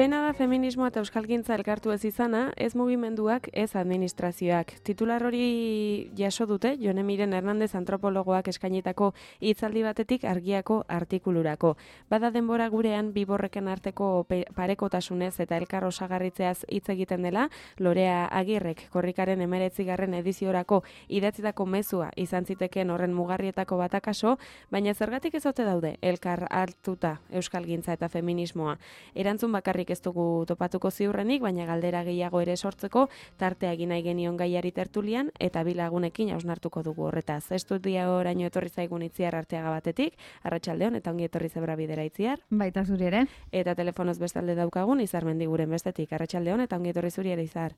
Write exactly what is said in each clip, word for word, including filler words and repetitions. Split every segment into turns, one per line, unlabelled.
Oraina da feminismoa eta euskalgintza elkartu ez izana, ez mugimenduak, ez administrazioak. Titular hori jaso dute, Jone Miren Hernandez antropologoak eskainitako hitzaldi batetik argiako artikulurako. Bada denbora gurean biborreken arteko parekotasunez eta elkar osagarritzeaz hitz egiten dela, Lorea Agirrek korrikaren emeretzigarren ediziorako idatzitako mezua izan zitekeen horren mugarrietako batakaso, baina zergatik ez ote daude elkar hartuta euskalgintza eta feminismoa. Erantzun bakarrik ez dugu topatuko ziurrenik, baina galdera gehiago ere sortzeko tartea egin nahi genion gaiari tertulian eta bi lagunekin hausnartuko dugu horretaz. Estudia oraino etorri zaigun Itziar Arteaga batetik, arratsaldeon eta ongi etorri Zebra Bidera Itziar.
Baita zuri ere.
Eta telefonoz bestalde daukagun Izar Mendiguren bestetik, arratsaldeon eta ongi etorri zuri ere Izar.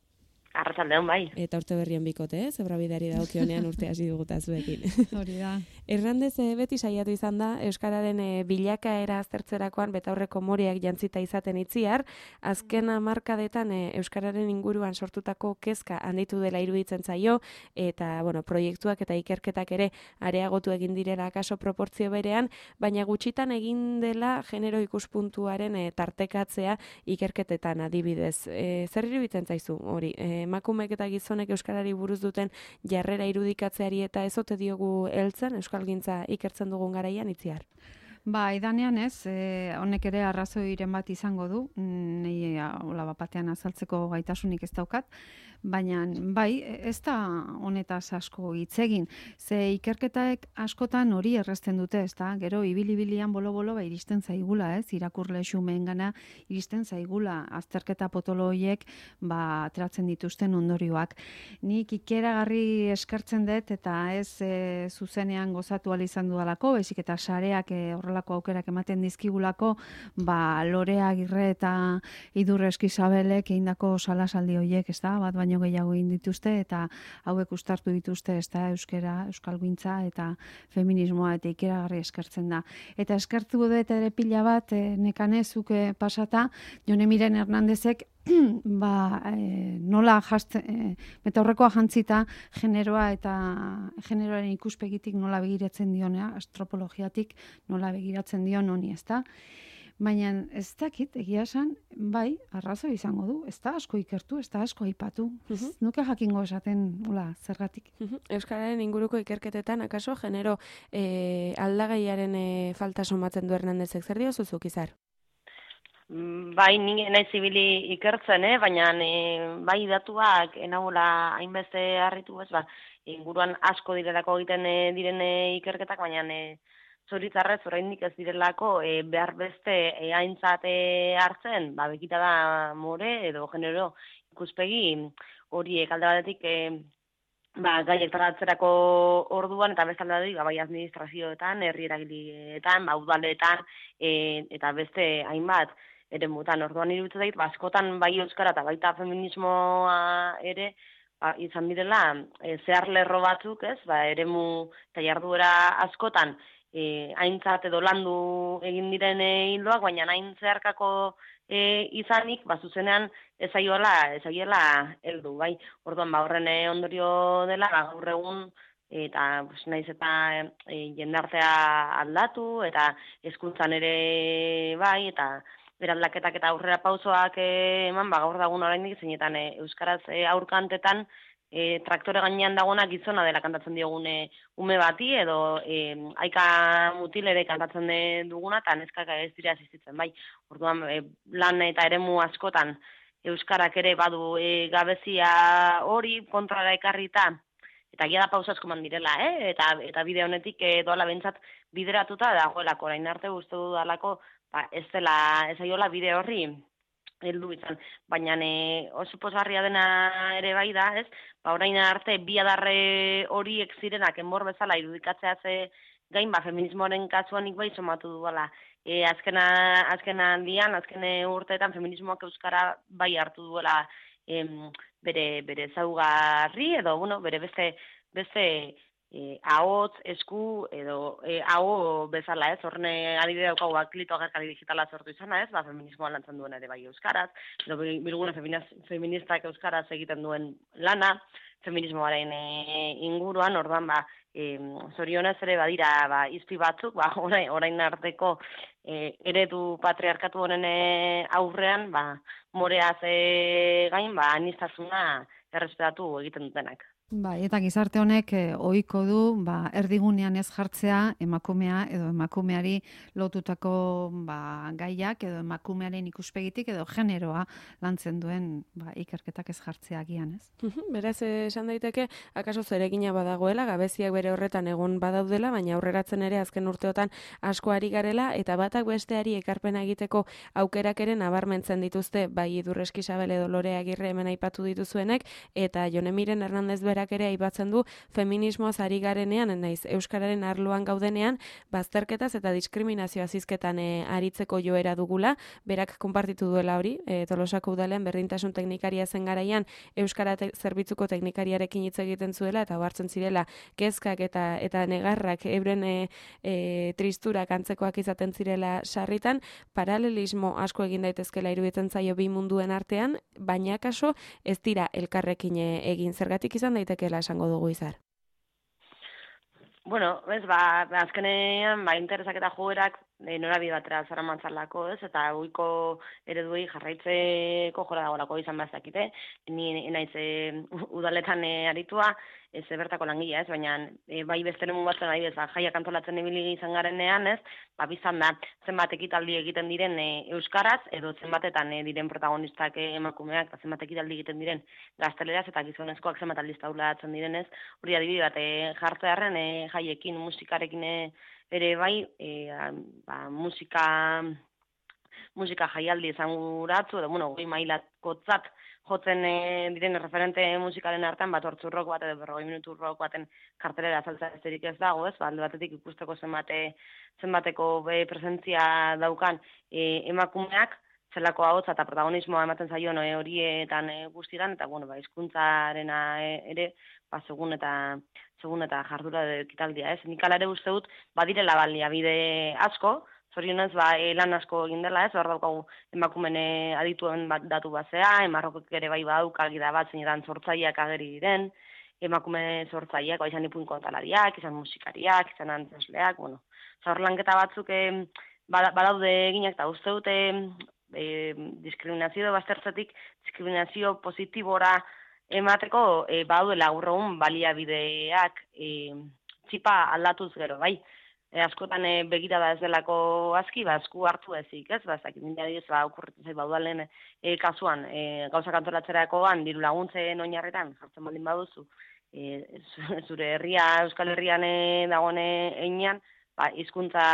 Arratsaldeon bai.
Eta urte berrien bikote, eh? Zebra Bideari dagokionean urte hasi duguta zuekin.
Hori da.
Hernandez e, beti saiatu izan da euskararen e, bilakaera aztertzerakoan betaurreko moriak jantzita izaten Itziar, azken hamarkadetan e, euskararen inguruan sortutako kezka handitu dela iruditzen zaio eta bueno, proiektuak eta ikerketak ere areagotu egin direla akaso proportzio berean, baina gutxitan egin dela genero ikuspuntuaren e, tartekatzea ikerketetan adibidez. E, zer iruditzen zaizu hori? E, emakumeek eta gizonek euskarari buruz duten jarrera irudikatzeari eta ez ote diogu heltzen euskalgintza ikertzen dugun garaian Itziar?
Ba, idanean ez, e, honek ere arrazoiren bat izango du, nei hola bapatean azaltzeko gaitasunik ez daukat, baina bai, ez da honetaz asko hitz egin. Ze ikerketaek askotan hori errezten dute, ez da? Gero ibili-bilian bolo-bolo ba, iristen zaigula, ez? Irakurle xumeengana iristen zaigula azterketa potolo horiek ba, ateratzen dituzten ondorioak. Nik ikeragarri eskertzen dut eta ez e, zuzenean gozatu ahal izan dudalako, baizik eta sareak e, horrelako aukerak ematen dizkigulako, ba, Lorea Agirre eta Idurre Eskizabelek egindako salasaldi horiek, ez da? Bat baino gehiago egin dituzte eta hauek uztartu dituzte, ez da, euskera, euskalgintza eta feminismoa eta ikeragarri eskertzen da. Eta eskertu dut ere pila bat, e, nekanezuke pasata, Jone Miren Hernandezek ba, e, nola jazte, e, metaurrekoa jantzita generoa eta generoaren ikuspegitik nola begiratzen dionea, astropologiatik nola begiratzen dion honi, ez da? Baina ez dakit, egia esan, bai, arrazo izango du, ez da asko ikertu, ez da asko aipatu. Uh-huh. Nuke jakingo esaten, hola, zergatik.
Uh-huh. Euskararen inguruko ikerketetan, akaso, genero e, aldagaiaren e, falta somatzen du Hernandezek, zer dio zuzuk, Izar?
Bai, nire nahi zibili ikertzen, eh? Baina e, bai datuak enagula hainbeste harritu ez, ba, inguruan asko direlako egiten e, diren e, ikerketak, baina e, zoritzarrez oraindik ez direlako e, behar beste e, aintzat e, hartzen, ba, bekita da more edo genero ikuspegi horiek alde batetik e, ba, gaiek tratatzerako orduan eta beste alde batetik ba, bai administrazioetan, herri eragileetan, ba, udaletan e, eta beste hainbat eremutan. Orduan iruditzen zait, ba, askotan bai euskara eta baita feminismoa ere ba, izan direla e, zehar lerro batzuk, ez? Ba, eremu eta jarduera askotan E, aintzat edo landu egin diren e, hildoak, baina hain zeharkako e, izanik, ba, zuzenean ezaiola, ezaiela heldu, bai. Orduan, ba, horren e, ondorio dela, ba, gaur egun, eta pues, naiz eta e, jendartea aldatu, eta hezkuntzan ere bai, eta beraldaketak eta aurrera pausoak e, eman, ba, gaur dagun oraindik zeinetan e, euskaraz e, aurkantetan, E, traktore gainean dagoena gizona dela kantatzen diogune ume bati edo e, aika mutil ere kantatzen duguna eta neskak ez dira asistitzen, bai. Orduan e, lan eta eremu askotan euskarak ere badu e, gabezia hori kontrara ekarrita eta gia da pausa asko direla, eh? eta, eta bide honetik e, doala bentsat bideratuta dagoelako, orain arte uste dudalako ba, ez dela, ez aiola bide horri heldu izan, baina e, oso pozgarria dena ere bai da, ez? Ba, orain arte bi adarre horiek zirenak enbor bezala irudikatzea ze gain, ba, feminismoaren kasuan nik bai somatu duela. E, azkena, azkena aldian, azken urteetan feminismoak euskara bai hartu duela em, bere, bere zaugarri, edo, bueno, bere beste, beste E, ahotz, esku, edo e, aho bezala ez, horne adibide daukagu aklito agerkari digitala sortu izana ez, ba, feminismoa lantzen duen ere bai euskaraz, edo bilgune feministak euskaraz egiten duen lana, feminismoaren e, inguruan, orduan, ba, E, zorionez ere badira ba, izpi batzuk, ba, orain, orain arteko e, eredu patriarkatu honen aurrean, ba, moreaz e, gain, ba, aniztasuna errespetatu egiten dutenak.
Bai, eta gizarte honek eh, ohiko du ba, erdigunean ez jartzea emakumea edo emakumeari lotutako ba, gaiak edo emakumearen ikuspegitik edo generoa lantzen duen ba, ikerketak ez jartzea agian, ez?
Beraz, esan daiteke, akaso zeregina badagoela, gabeziak bere horretan egon badaudela, baina aurreratzen ere azken urteotan asko ari garela, eta batak besteari ekarpena egiteko aukerak ere nabarmentzen dituzte, bai Idurreski Isabel edo Lore Agirre hemen aipatu dituzuenek, eta Jone Miren Hernandez berak ere aipatzen du feminismoaz ari garenean, naiz euskararen arloan gaudenean, bazterketaz eta diskriminazio azizketan e, aritzeko joera dugula, berak konpartitu duela hori, e, Tolosako udalean berdintasun teknikaria zen garaian euskara te zerbitzuko teknikariarekin hitz egiten zuela eta ohartzen zirela kezkak eta eta negarrak euren e, e, tristurak antzekoak izaten zirela sarritan, paralelismo asko egin daitezkela iruditzen zaio bi munduen artean, baina kaso ez dira elkarrekin egin, zergatik izan daitekela esango dugu Izar.
Bueno, ez, ba, azkenean, ba, interesak eta joerak e, norabide batera zara mantzalako, ez, eta goiko ereduei jarraitzeko jora dagolako izan bazakite, ni naiz e, udaletan e, aritua, ez bertako langilea, ez, baina e, bai beste nemu batzen ari bez, ba, jaiak antolatzen ibili izan garenean, ez, ba, bizan da, zenbat ekitaldi egiten diren e, euskaraz, edo zenbatetan e, diren protagonistak e, emakumeak, eta zenbat ekitaldi egiten diren gazteleraz, eta gizonezkoak zenbat aldiz taulatzen direnez, hori adibide bat, e, jartzearen e, jaiekin, musikarekin e, ere bai, e, ba, musika, musika jaialdi esanguratzu, edo, bueno, goi mailakotzat, jotzen e, diren referente musikaren artean, bat hortzu rock bat edo berrogei minutu rock baten kartelera azaltza esterik ez dago, ez, ba, alde batetik ikusteko zenbate, zenbateko be presentzia daukan e, emakumeak, zelako ahotsa eta protagonismoa ematen zaion e, horietan e, guztietan, eta bueno, ba, hizkuntzarena e, ere, ba, segun eta segun eta jardura ekitaldia, ez. Nik hala ere uste dut, badirela baliabide asko, zorionez, ba, e, lan asko egin dela, ez, hor daukagu emakumene adituen bat, datu bazea, emarrokek ere bai badauk algida bat zeinetan sortzaileak ageri diren, emakume sortzaileak, ba, izan ipun kontalariak, izan musikariak, izan antzesleak, bueno, zaur lanketa batzuk e, badaude eginak, eta uste dute e, diskriminazio baztertzetik, diskriminazio positibora emateko e, badaudela gaur egun baliabideak e, txipa aldatuz gero, bai. E, askotan e, begirada ez delako aski, ba, esku hartu ezik, ez? Ba, ezakit, nire ba, okurritu zait baudalen e, kasuan, e, gauzak antolatzerakoan, diru laguntzen oinarretan, jartzen baldin baduzu, e, zure herria, Euskal Herrian e, dagoen einean, ba, hizkuntza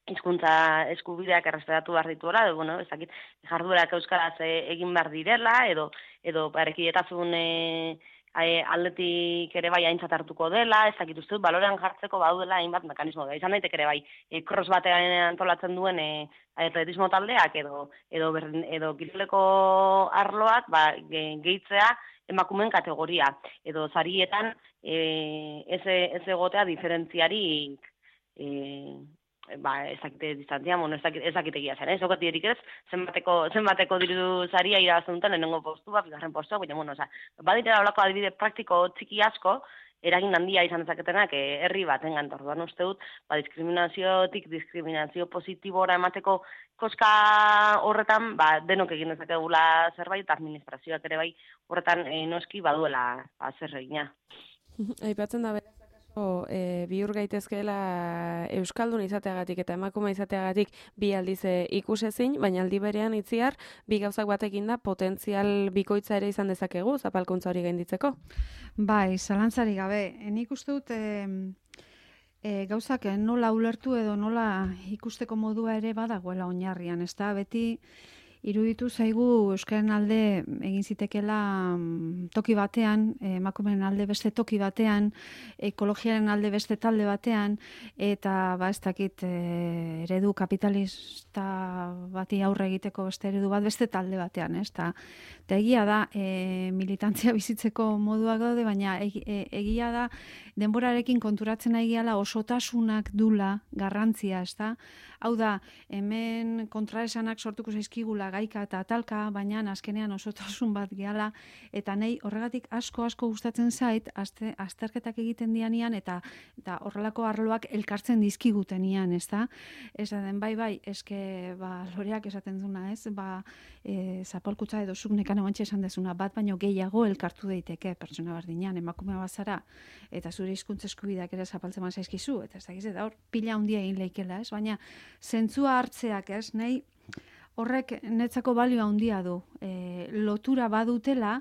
hizkuntza eskubideak errespetatu behar dituela, edo, bueno, ezakit, jarduerak euskaraz e, egin behar direla, edo, edo, parekietazun e, E, aldetik ere bai aintzat hartuko dela, ez dakit uste dut, balorean jartzeko baudela hainbat mekanismo da. Izan daiteke ere bai, e, cross batean antolatzen duen e, atletismo taldeak edo edo berdin, edo kiroleko arloak, ba, gehitzea emakumeen kategoria edo sarietan e, ez ez egotea diferentziarik e, ba, ez dakite distantzia, bueno, ez dakite, ez dakite egia zen, ez okati erik ez, zenbateko, zenbateko diru zaria irabazten duten, lehenengo postua, bigarren postua, baina, bueno, oza, baditera olako adibide praktiko txiki asko, eragin handia izan dezaketenak eh, herri batengan, orduan uste dut, ba, diskriminaziotik, diskriminazio positibora emateko koska horretan, ba, denok egin dezakegula zerbait, eta administrazioak ere bai, horretan eh, noski baduela ba, zer egina.
Aipatzen da beraz, E, bihur gaitezkeela euskaldun izateagatik eta emakume izateagatik bi aldiz e, ikusezin, baina aldi berean itziar bi gauzak batekin da potentzial bikoitza ere izan dezakegu zapalkuntza hori gainditzeko.
Bai, zalantzari gabe. Nik uste dut e, e, gauzak nola ulertu edo nola ikusteko modua ere badagoela oinarrian, ez da beti iruditu zaigu euskaren alde egin zitekela toki batean, emakumeen alde beste toki batean, ekologiaren alde beste talde batean, eta ba ez dakit eredu kapitalista bati aurre egiteko beste eredu bat beste talde batean, ez? Ta, ta egia da e, militantzia bizitzeko moduak daude, baina e, e, egia da denborarekin konturatzen aigiala osotasunak dula garrantzia, ez da? Hau da, hemen kontraesanak sortuko zaizkigula gaika eta talka, baina azkenean osotasun bat gehala, eta nahi horregatik asko asko gustatzen zait, azte, azterketak egiten dianian, eta, eta horrelako arloak elkartzen dizkigutenian, ez da? Ez den, bai, bai, eske, ba, loreak esaten duna, ez? Ba, e, zapalkutza edo zuk nekano bantxe esan dezuna, bat baino gehiago elkartu daiteke pertsona berdinean, emakume bazara, eta zure hizkuntza eskubideak ere zapaltzen zaizkizu, eta ez da, eta hor, pila handia egin leikela, ez? Baina, zentzua hartzeak, ez? Nahi, horrek netzako balio handia du. E, lotura badutela,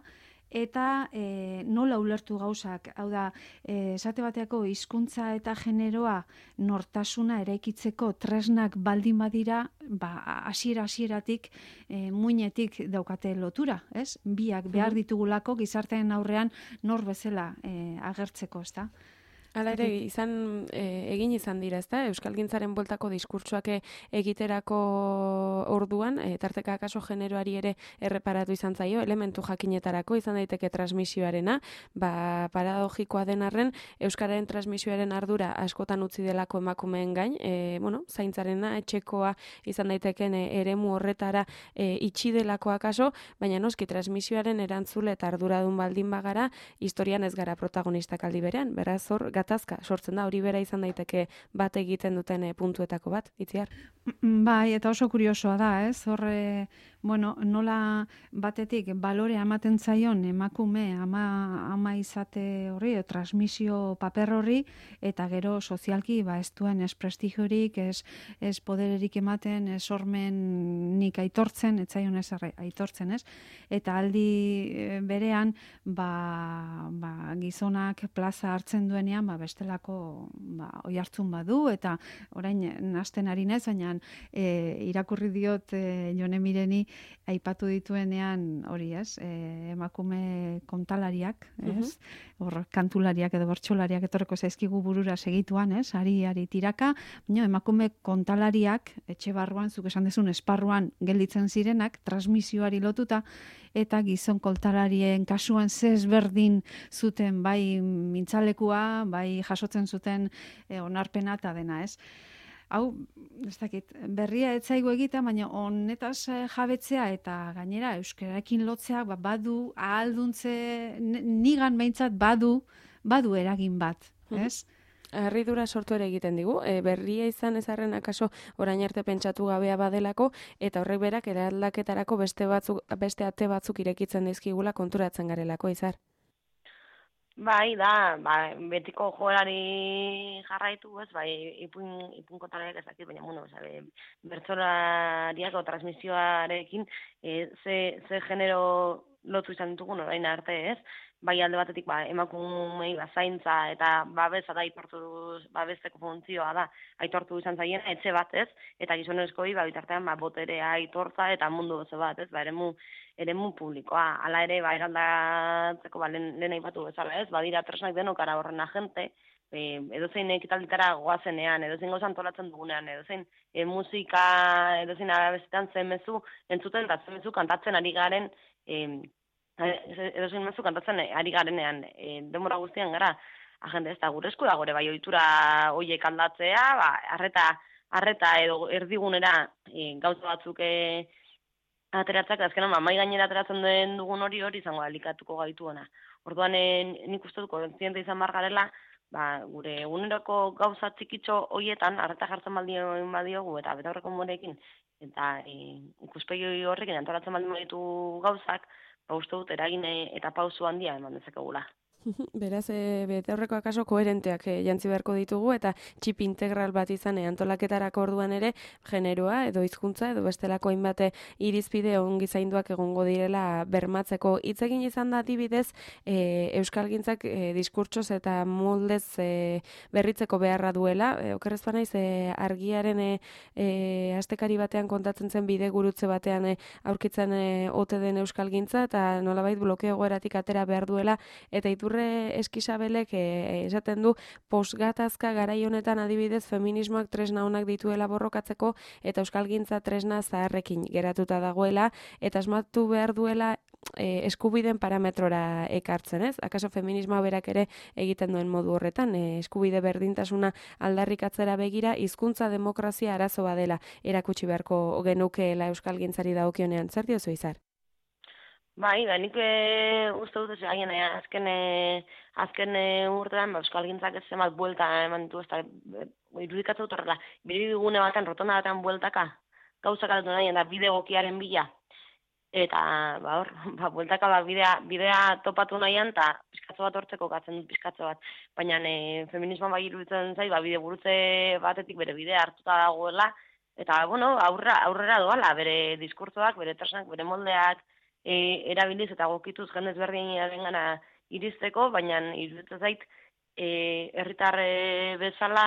eta e, nola ulertu gauzak, hau da, e, esate bateako hizkuntza eta generoa nortasuna eraikitzeko tresnak baldin badira, ba, hasiera hasieratik e, muinetik daukate lotura, ez? Biak behar ditugulako gizarteen aurrean nor bezala e, agertzeko, ez da?
Hala ere, izan, e, egin izan dira, ezta? Euskalgintzaren bueltako diskurtsoak egiterako orduan, e, tarteka akaso generoari ere erreparatu izan zaio, elementu jakinetarako izan daiteke transmisioarena, ba, paradogikoa den arren, euskararen transmisioaren ardura askotan utzi delako emakumeen gain, e, bueno, zaintzarena, etxekoa izan daiteken e, eremu horretara e, itxi delako akaso, baina noski transmisioaren erantzule eta arduradun baldin bagara, historian ez gara protagonistak aldi berean, beraz hor, gatazka sortzen da, hori bera izan daiteke bat egiten duten e, puntuetako bat, Itziar?
Bai, eta oso kuriosoa da, ez? Horre, bueno, nola batetik balorea ematen zaion emakume ama, ama izate horri, o, transmisio paper horri, eta gero sozialki ba, ez duen ez prestigiorik, ez, ez podererik ematen, ez sormenik aitortzen, ez zaion ez aitortzen, ez? Eta aldi berean, ba, ba, gizonak plaza hartzen duenean, ba, bestelako ba, oi hartzun badu, eta orain nasten ari nez, baina e, irakurri diot e, Jone Mireni aipatu dituenean hori, ez? E, emakume kontalariak, ez? Hor kantulariak edo bertsolariak etorreko zaizkigu burura segituan, ez? Ari, ari tiraka, baina emakume kontalariak etxe barruan, zuk esan dezun esparruan gelditzen zirenak, transmisioari lotuta, eta gizon kontalarien kasuan zezberdin zuten, bai mintzalekua, bai jasotzen zuten e, onarpena eta dena, ez? Hau, ez dakit, berria etzaigu egita, baina honetaz jabetzea eta gainera euskararekin lotzeak ba, badu, ahalduntze, nigan behintzat badu, badu eragin bat, ez?
Harridura sortu ere egiten digu, e, berria izan ezarren akaso orain arte pentsatu gabea badelako, eta horrek berak eraldaketarako beste batzuk, beste ate batzuk irekitzen dizkigula konturatzen garelako, Izar.
Bai, da, ba, betiko joerari jarraitu, ez, bai, ipun, ipun kontalariak ez dakit, baina, bueno, sabe, bertsolariak o transmisioarekin e, ze, ze genero lotu izan ditugun orain arte, ez? Bai alde batetik ba, emakumei ba, zaintza eta babesa da aitortu babesteko funtzioa da aitortu izan zaien etxe bat, ez? Eta gizonezkoei ba bitartean ba boterea aitortza eta mundu oso bat, ez? Ba eremu eremu publikoa. Hala ere ba eraldatzeko ba lehen, lehen aipatu bezala, ez? Badira tresnak denokara horren agente, e, edozein ekitalditara goazenean, edozein gozan antolatzen dugunean, edozein e, musika, edozein abestetan zen mezu entzuten eta zen mezu kantatzen ari garen e, edozein mezu kantatzen ari garenean, e, denbora guztian gara, agente ez da gure esku da, gure bai ohitura hoiek aldatzea, ba, arreta, arreta edo erdigunera e, gauza batzuk e, ateratzak, azkenan ba, mai gainera ateratzen den dugun hori hori izango alikatuko gaituena. Orduan e, nik uste dut kontziente izan bar garela, ba, gure eguneroko gauza txikitxo hoietan arreta jartzen baldin badiogu eta betaurreko morekin, eta e, ikuspegi horrekin antolatzen baldin baditu gauzak, ba, uste dut eragin eta pausu handia eman dezakegula.
Beraz, e, bete horreko akaso koherenteak e, jantzi beharko ditugu eta txip integral bat izan e, antolaketarako orduan ere generoa edo hizkuntza edo bestelako hainbate irizpide ongi zainduak egongo direla bermatzeko. Hitz egin izan da adibidez e, euskalgintzak e, diskurtsoz eta moldez e, berritzeko beharra duela. E, okerrez banaiz e, argiaren e, e, astekari batean kontatzen zen bide gurutze batean e, aurkitzen e, ote den euskalgintza eta nolabait blokeo egoeratik atera behar duela eta iturre Eskisabelek e, esaten du posgatazka garai honetan adibidez feminismoak tresna onak dituela borrokatzeko eta euskalgintza tresna zaharrekin geratuta dagoela eta asmatu behar duela e, eskubideen parametrora ekartzen, ez? Akaso feminismoa berak ere egiten duen modu horretan, e, eskubide berdintasuna aldarrikatzera begira, hizkuntza demokrazia arazoa dela erakutsi beharko genukeela euskalgintzari dagokionean. Zer diozu, Izar?
Bai, da nik e, uste dut, haien e, azken, e, azken e, urtean, ba, euskalgintzak ez zenbat buelta eman ditu, ez da, e, irudikatzen dut horrela, biribigune batean, rotonda batean bueltaka, gauzak aldatu nahi, da bide egokiaren bila, eta, ba, hor, ba, bueltaka, ba, bidea, bidea topatu nahian, eta pizkatzo bat hortzeko gatzen dut pizkatzo bat, baina e, feminismoan bai iruditzen zai, ba, bide gurutze batetik bere bidea hartuta dagoela, eta, bueno, aurrera, aurrera doala, bere diskurtzoak, bere tresnak, bere moldeak, E, erabiliz eta gokituz jendez berdinaren gana iristeko, baina iruditzen zait e, herritar e, bezala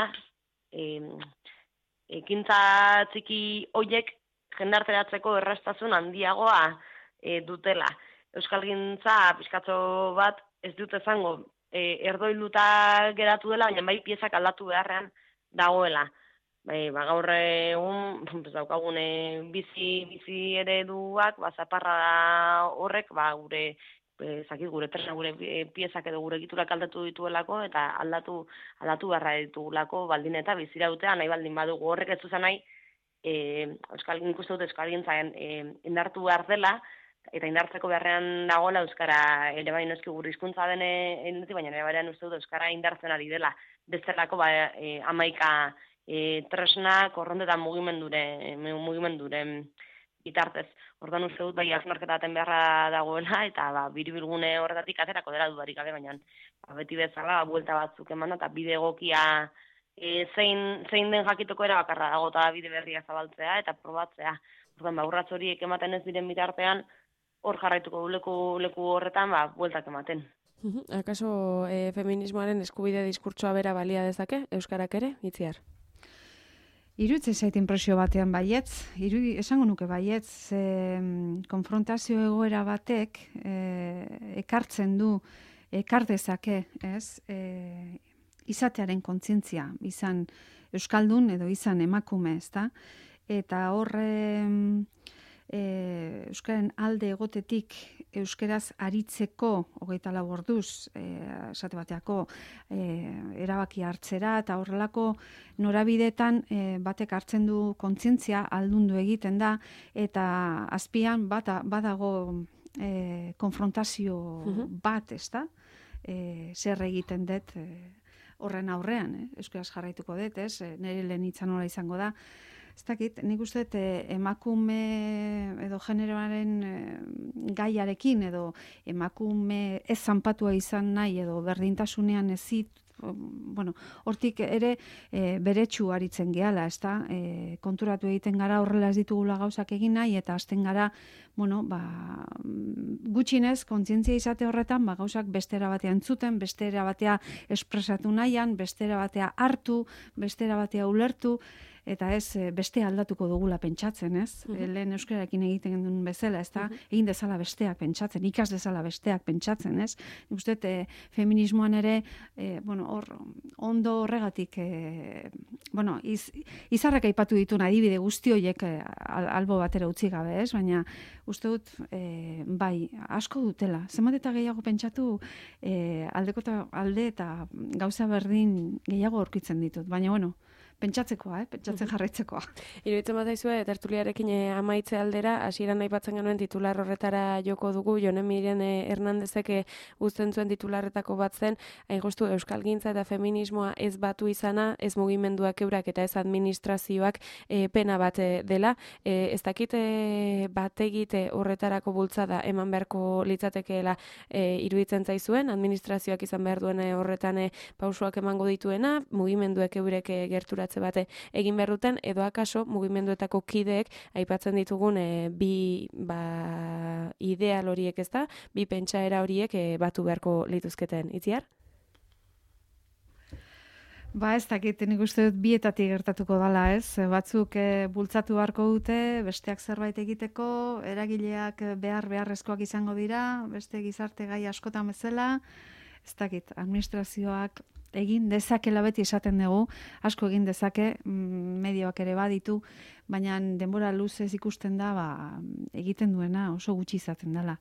e, ekintza txiki hoiek jendarteratzeko erraztasun handiagoa e, dutela. Euskalgintza pizkatzo bat ez dut izango e, erdoiluta geratu dela, baina bai piezak aldatu beharrean dagoela. Bai, ba, gaur egun, pues, daukagun bizi, bizi ereduak, ba, zaparra horrek, ba, gure, ezakit, gure tresna, gure piezak edo gure egiturak aldatu dituelako, eta aldatu, aldatu beharra ditugulako baldin eta bizira dutea, nahi baldin badugu horrek ez zuzan nahi, e, euskal, nik uste dut euskalgintzaren e, indartu behar dela, eta indartzeko beharrean dagoela euskara ere bai noski gure hizkuntza dene, baina ere baian uste dut euskara indartzen ari dela, bestelako ba, e, amaika E, tresna korronte eta mugimendure, mugimenduren bitartez. Ordan uste dut bai hausnarketaten beharra dagoela, eta ba, biribilgune horretatik aterako dela dudarik gabe, baina ba, beti bezala ba, buelta batzuk eman eta bide egokia e, zein, zein den jakitoko era bakarra dago eta bide berria zabaltzea eta probatzea. Ordan ba, urrats horiek ematen ez diren bitartean, hor jarraituko du leku, leku horretan ba, bueltak ematen.
Akaso e, feminismoaren eskubide diskurtsoa bera balia dezake, euskarak ere, Itziar?
Iruditze zait inpresio batean baietz, irudi, esango nuke baietz, e, konfrontazio egoera batek e, ekartzen du, ekar dezake, ez, e, izatearen kontzientzia, izan euskaldun edo izan emakume, ezta? Eta horre e, euskaren alde egotetik euskeraz aritzeko hogeita lau orduz, e, esate bateako e, erabaki hartzera eta horrelako norabidetan e, batek hartzen du kontzientzia aldundu egiten da eta azpian bata, badago e, konfrontazio bat, ezta? E, zer egiten dut e, horren aurrean, eh? Euskaraz jarraituko dut, ez? E, nire lehen hitza nola izango da. Ez dakit, nik uste eh, emakume edo generoaren eh, gaiarekin edo emakume ez zanpatua izan nahi edo berdintasunean ezit, bueno, hortik ere e, beretsu aritzen gehala, ezta? E, konturatu egiten gara horrela ez ditugula gauzak egin nahi eta hasten gara, bueno, ba, gutxinez kontzientzia izate horretan, ba, gauzak bestera batean entzuten, bestera batea espresatu nahian, bestera batea hartu, bestera batea ulertu, eta ez beste aldatuko dugula pentsatzen, ez? Uh -huh. Lehen euskararekin egiten duen bezala, ez da? Uh -huh. Egin dezala besteak pentsatzen, ikas dezala besteak pentsatzen, ez? Nik uste, e, feminismoan ere, e, bueno, hor, ondo horregatik, e, bueno, iz, izarrak aipatu dituen adibide guzti horiek e, albo batera utzi gabe, ez? Baina, uste dut, e, bai, asko dutela. Zenbat eta gehiago pentsatu, e, aldeko ta, alde eta gauza berdin gehiago aurkitzen ditut. Baina, bueno, pentsatzekoa, eh? Pentsatzen jarraitzekoa.
Iruditzen bat daizue, tertuliarekin eh, amaitze aldera, hasieran aipatzen genuen titular horretara joko dugu, Jone Miren eh, Hernandezek eh, uzten zuen titularretako bat zen, hain justu euskalgintza eta feminismoa ez batu izana, ez mugimenduak eurak eta ez administrazioak eh, pena bat eh, dela. Eh, ez dakit eh, bat egite horretarako bultzada eman beharko litzatekeela eh, iruditzen zaizuen, administrazioak izan behar duen eh, horretan eh, pausuak emango dituena, mugimenduek eurek eh, gerturat bate egin berruten, edo akaso mugimenduetako kideek aipatzen ditugun e, bi ba, ideal horiek, ez da, bi pentsaera horiek e, batu beharko lituzketen. Itziar?
Ba ez dakit, nik uste dut bietatik gertatuko dala, ez? Batzuk e, bultzatu beharko dute, besteak zerbait egiteko, eragileak behar beharrezkoak izango dira, beste gizarte gai askotan bezala, ez dakit, administrazioak egin dezakela beti esaten dugu, asko egin dezake, medioak ere baditu, baina denbora luzez ikusten da, ba, egiten duena oso gutxi izaten dela.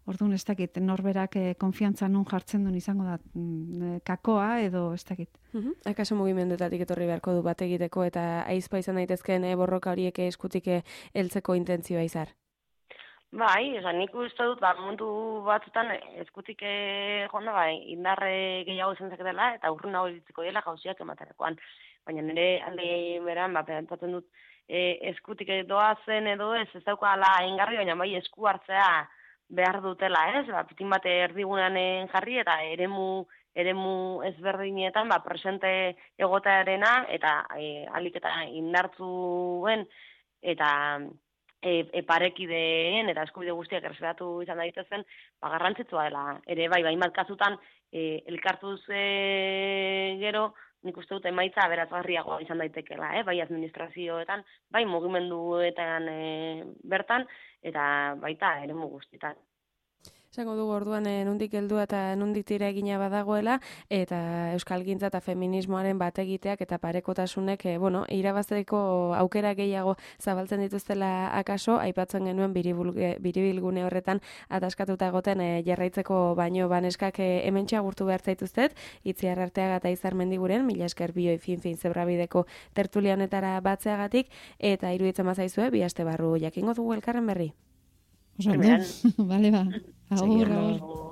Orduan ez dakit, norberak eh, konfiantza nun jartzen duen izango da mm, kakoa edo ez dakit.
Uh-huh. Akaso mugimenduetatik etorri beharko du bat egiteko eta aizpa izan daitezkeen eh, borroka horiek eskutik heltzeko intentzioa izar?
Bai, esan nik uste dut, ba, momentu batzutan eskutik eh, jonda, bai, indarre gehiago izan zaketela eta urrun hau iritziko dela gauziak ematerakoan. Baina nire alde beran, ba, pentsatzen dut, e, eskutik doa zen edo ez, ez daukala ingarri, baina bai esku hartzea behar dutela, ez? Ba, pitin bate erdigunean jarri eta eremu eremu ezberdinetan ba, presente egotearena eta e, alik eta indartzuen eta e, e, parekideen eta eskubide guztiak erreseratu izan daitezen, ba, garrantzitsua dela. Ere bai, bai, kasutan e, elkartuz e, gero, nik uste dut emaitza aberatsgarriagoa izan daitekeela, eh? Bai administrazioetan, bai mugimenduetan e, bertan, eta baita eremu guztietan.
Esango dugu orduan e, nundik heldua eta nundik tira egina badagoela, eta euskalgintza eta feminismoaren bat egiteak eta parekotasunek e, bueno, irabazteko aukera gehiago zabaltzen dituztela akaso, aipatzen genuen biribilgune horretan ataskatuta egoten e, jarraitzeko baino baneskak e, hementxe agurtu behar zaituztet, Itziar Arteaga eta Izar Mendiguren, mila esker bioi fin-fin zebrabideko tertulia honetara batzeagatik, eta iruditzen bazaizue, bi aste barru jakingo dugu elkarren berri.
Oso, bale ba. Agur, agur.